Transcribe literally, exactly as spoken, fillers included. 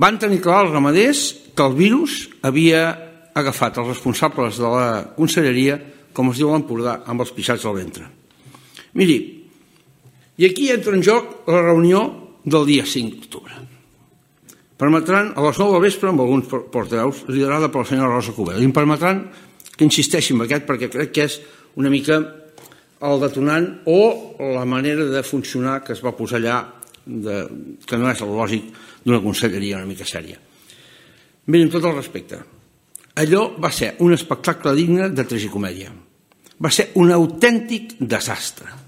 Van tenir clar els ramaders que el virus havia agafat els responsables de la conselleria, com es diu a l'Empordà, amb els pixats al ventre. Miri, i aquí entra en joc la reunió del dia cinc d'octubre. Permetran, a les nou del vespre, amb alguns portaveus, liderada per la senyora Rosa Cubell, i em permetran que insisteixi en aquest perquè crec que és una mica el detonant o la manera de funcionar que es va posar allà, de, que no és el lògic d'una conselleria una mica sèria. Miren, amb tot el respecte, allò va ser un espectacle digne de tragicomèdia. Va ser un autèntic desastre.